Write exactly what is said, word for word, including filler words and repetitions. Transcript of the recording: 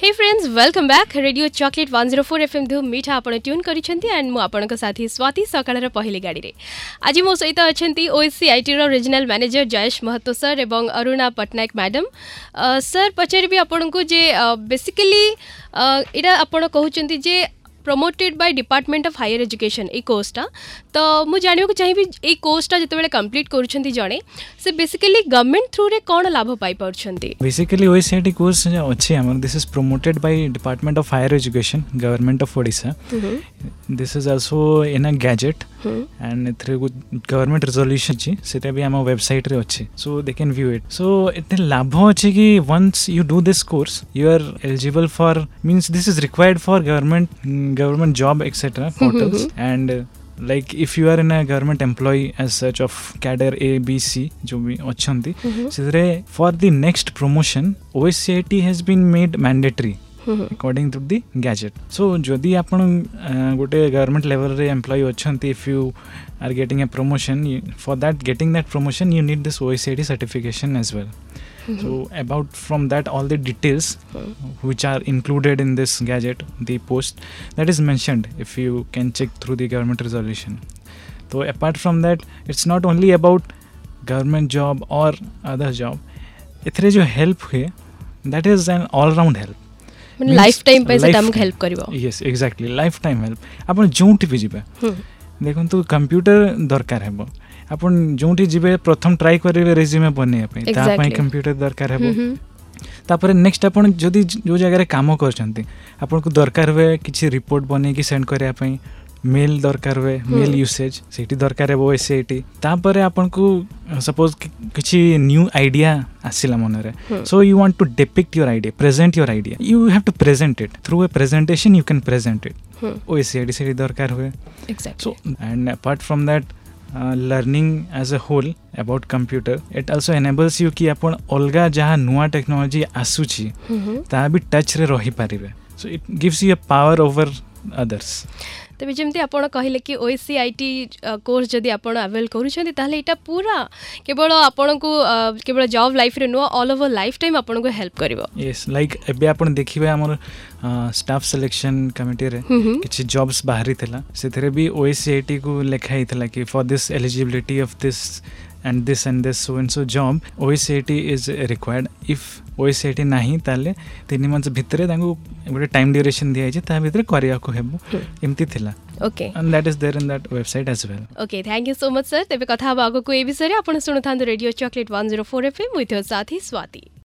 Hey friends welcome back Radio Choklate one zero four FM ଧୁମ୍ ମିଠା ଆପଣ tune କରିଛନ୍ତି ଆଣ୍ଡ ମୁଁ ଆପଣଙ୍କ ସାଥୀ ସ୍ୱାତି ସକାଳର ପହିଲି ଗାଡ଼ିରେ ଆଜି ମୋ ସହିତ ଅଛନ୍ତି ଓଏସସିଆଇଟିର ରିଜନାଲ ମ୍ୟାନେଜର ଜયેଶ ମହତୋ ସାର୍ ଏବଂ ଅରୁଣା ପଟ୍ଟନାୟକ ମ୍ୟାଡ଼ାମ୍ ସାର୍ ପଚାରିବି ଆପଣଙ୍କୁ ଯେ ବେସିକାଲି ଏଇଟା ଆପଣ କହୁଛନ୍ତି ଯେ promoted by Department of Higher Education ଏଇ କୋର୍ସଟା ତ ମୁଁ ଜାଣିବାକୁ ଚାହିଁବି ଏଇ କୋର୍ସଟା ଯେତେବେଳେ କମ୍ପ୍ଲିଟ୍ କରୁଛନ୍ତି ଜଣେ ସେ ବେସିକାଲି ଗଭର୍ଣ୍ଣମେଣ୍ଟ ଥ୍ରୁରେ କ'ଣ ଲାଭ ପାଇପାରୁଛନ୍ତି ବେସିକାଲି ଓଏସସିଆଇଟି କୋର୍ସ ଅଛି ଆମର this is promoted by Department of Higher Education Government of Odisha this is also in a gazette and ଏଥିରେ ଗଭର୍ଣ୍ଣମେଣ୍ଟ ରେଜଲ୍ୟୁସନ୍ ଅଛି ସେଇଟା ବି ଆମ ୱେବସାଇଟ୍ରେ ଅଛି so they can view it so ଏତେ ଲାଭ ଅଛି କି once you do this course you are eligible for means this is required for government government job etc portals and uh, like if you are in a government employee as such of cadre A B C जो ବି ଅଛନ୍ତି ସେଥିରେ for the next promotion OSCIT has been made mandatory according to the gazette so ଯଦି ଆପଣ ଗୋଟେ government ଲେଭେଲରେ employee ଅଛନ୍ତି if you are getting a promotion for that getting that promotion you need this OSCIT certification as well so about from that all the details which are included in this gazette the post that is mentioned if you can check through the government resolution so apart from that it's not only about government job or other job ଏଥିରେ ଯେଉଁ help ହୁଏ that is an all round help ମାନେ life time ପାଇଁ ସେଟା ଆମକୁ help କରିବ Yes exactly life time help ଆପଣ ଯେଉଁଠି ବି ଯିବେ ଦେଖନ୍ତୁ କମ୍ପ୍ୟୁଟର ଦରକାର ହେବ ଆପଣ ଯେଉଁଠି ଯିବେ ପ୍ରଥମ ଟ୍ରାଏ କରିବେ ରେଜ୍ୟୁମେ ବନେଇବା ପାଇଁ ତା ପାଇଁ କମ୍ପ୍ୟୁଟର ଦରକାର ହେବ ତାପରେ ନେକ୍ସଟ ଆପଣ ଯଦି ଯେଉଁ ଜାଗାରେ କାମ କରୁଛନ୍ତି ଆପଣଙ୍କୁ ଦରକାର ହୁଏ କିଛି ରିପୋର୍ଟ ବନେଇକି ସେଣ୍ଡ କରିବା ପାଇଁ ମେଲ୍ ଦରକାର ହୁଏ ମେଲ୍ ୟୁସେଜ୍ ସେଇଠି ଦରକାର ହେବ ଓ ଏସ୍ ସି I T ତାପରେ ଆପଣଙ୍କୁ ସପୋଜ କିଛି ନ୍ୟୁ ଆଇଡ଼ିଆ ଆସିଲା ମନରେ so you want to depict your idea present your idea you have to present it through a presentation you can present it O S C I T ସେଇଠି ଦରକାର ହୁଏ so and apart from that learning as a whole about computer it also enables you କି ଆପଣ ଅଲଗା ଯାହା ନୂଆ technology ଆସୁଛି ତାହା ବି ଟଚ୍ରେ ରହିପାରିବେ so it gives you a power over others ତେବେ ଯେମିତି ଆପଣ କହିଲେ କି O S C I T course ଯଦି ଆପଣ ଆଭେଲ୍ କରୁଛନ୍ତି ତାହେଲେ ଏଇଟା ପୁରା କେବଳ ଆପଣଙ୍କୁ କେବଳ ଜବ୍ ଲାଇଫ୍ରେ ନୁହଁ ଅଲ୍ ଓଭର୍ ଲାଇଫ୍ ଟାଇମ୍ ଆପଣଙ୍କୁ ହେଲ୍ପ କରିବ ୟେସ୍ ଲାଇକ୍ ଏବେ ଆପଣ ଦେଖିବେ ଆମର ଷ୍ଟାଫ୍ ସିଲେକ୍ସନ୍ କମିଟିରେ କିଛି ଜବ୍ସ ବାହାରିଥିଲା ସେଥିରେ ବି ଓ ଏସ୍ ସି I ଟିକୁ ଲେଖା ହେଇଥିଲା କି for this eligibility of this and this and this so and so job OSCIT is required if OSCIT ନାହିଁ ତାହେଲେ ତିନି ମାସ ଭିତରେ ତାଙ୍କୁ ଗୋଟେ ଟାଇମ୍ ଡ୍ୟୁରେସନ୍ ଦିଆଯାଇଛି ତା ଭିତରେ କରିବାକୁ ହେବ ଏମିତି ଥିଲା okay and that is there in that website as well okay thank you so much sir ତେବେ କଥା ହେବ ଆଗକୁ ଏ ବିଷୟରେ ଆପଣ ଶୁଣୁଥାନ୍ତୁ Radio Choklate one zero four FM with ସାଥୀ ସ୍ୱାତି